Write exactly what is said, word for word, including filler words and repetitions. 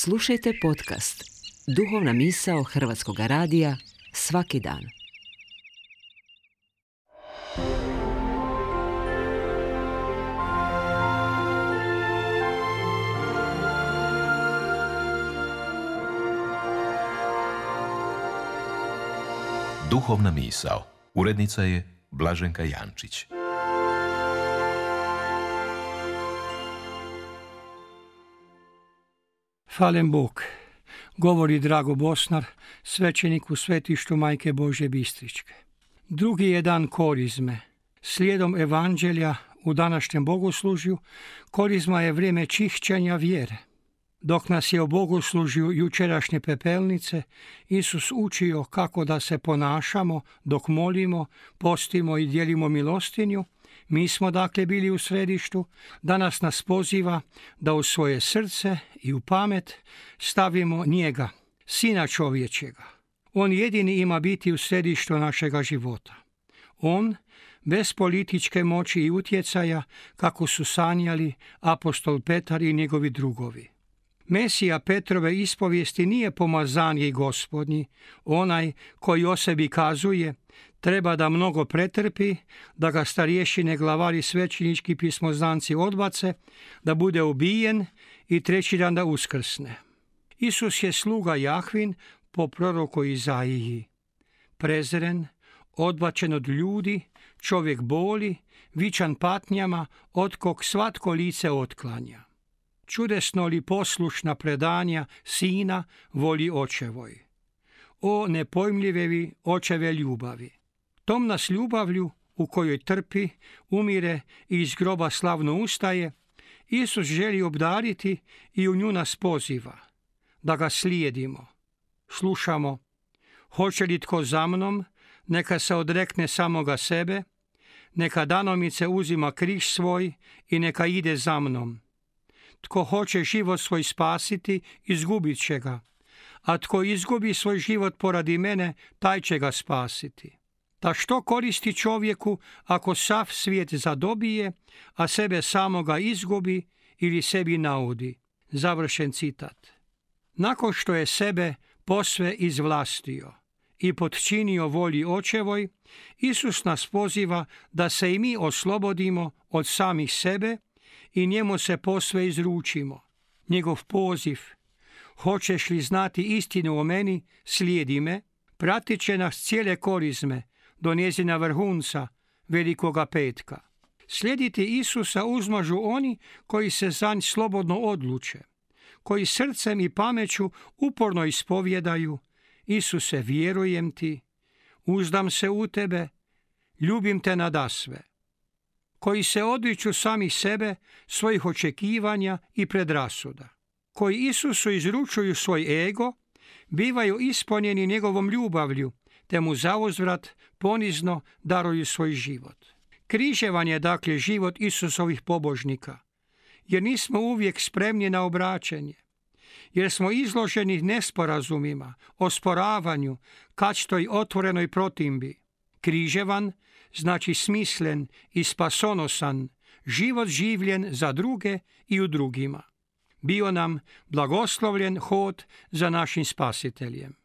Slušajte podcast Duhovna misao Hrvatskog radija svaki dan. Duhovna misao. Urednica je Blaženka Jančić. Hvaljen Bog, govori Drago Bosnar, svećenik u svetištu Majke Božje Bistričke. Drugi je dan Korizme. Slijedom evanđelja u današnjem bogoslužju, Korizma je vrijeme čišćenja vjere. Dok nas je o bogoslužju jučerašnje pepelnice Isus učio kako da se ponašamo dok molimo, postimo i dijelimo milostinju, mi smo dakle bili u središtu. Danas nas poziva da u svoje srce i u pamet stavimo njega, Sina čovječjega. On jedini ima biti u središtu našega života. On, bez političke moći i utjecaja, kako su sanjali apostol Petar i njegovi drugovi. Mesija Petrove ispovijesti nije pomazanje Gospodnji, onaj koji o sebi kazuje treba da mnogo pretrpi, da ga starješine, glavari, svećenički pismoznanci odbace, da bude ubijen i treći dan da uskrsne. Isus je sluga Jahvin po proroku Izaiji. Prezren, odbačen od ljudi, čovjek boli, vičan patnjama, od kog svatko lice otklanja. Čudesno li poslušna predanja sina voli očevoj. O nepojmljivevi očeve ljubavi. Tom nas ljubavlju u kojoj trpi, umire i iz groba slavno ustaje, Isus želi obdariti i u nju nas poziva, da ga slijedimo. Slušamo, hoće li tko za mnom, neka se odrekne samoga sebe, neka danomice uzima križ svoj i neka ide za mnom. Tko hoće život svoj spasiti, izgubit će ga, a tko izgubi svoj život poradi mene, taj će ga spasiti. Da što koristi čovjeku ako sav svijet zadobije, a sebe samoga izgubi ili sebi naudi? Završen citat. Nakon što je sebe posve izvlastio i potčinio volji očevoj, Isus nas poziva da se i mi oslobodimo od samih sebe i njemu se posve izručimo. Njegov poziv, hoćeš li znati istinu o meni, slijedi me, pratit će nas cijele Korizme do njezina vrhunca, Velikoga petka. Slijediti Isusa uzmažu oni koji se za nj slobodno odluče, koji srcem i pameću uporno ispovjedaju: Isuse, vjerujem ti, uzdam se u tebe, ljubim te nadasve. Koji se odriču sami sebe, svojih očekivanja i predrasuda. Koji Isusu izručuju svoj ego, bivaju ispunjeni njegovom ljubavlju, te mu zauzvrat ponizno daruju svoj život. Križevan je dakle život Isusovih pobožnika, jer nismo uvijek spremni na obraćanje, jer smo izloženi nesporazumima, osporavanju, kačtoj otvorenoj protimbi. Križevan znači smislen i spasonosan, život življen za druge i u drugima. Bio nam blagoslovljen hod za našim Spasiteljem.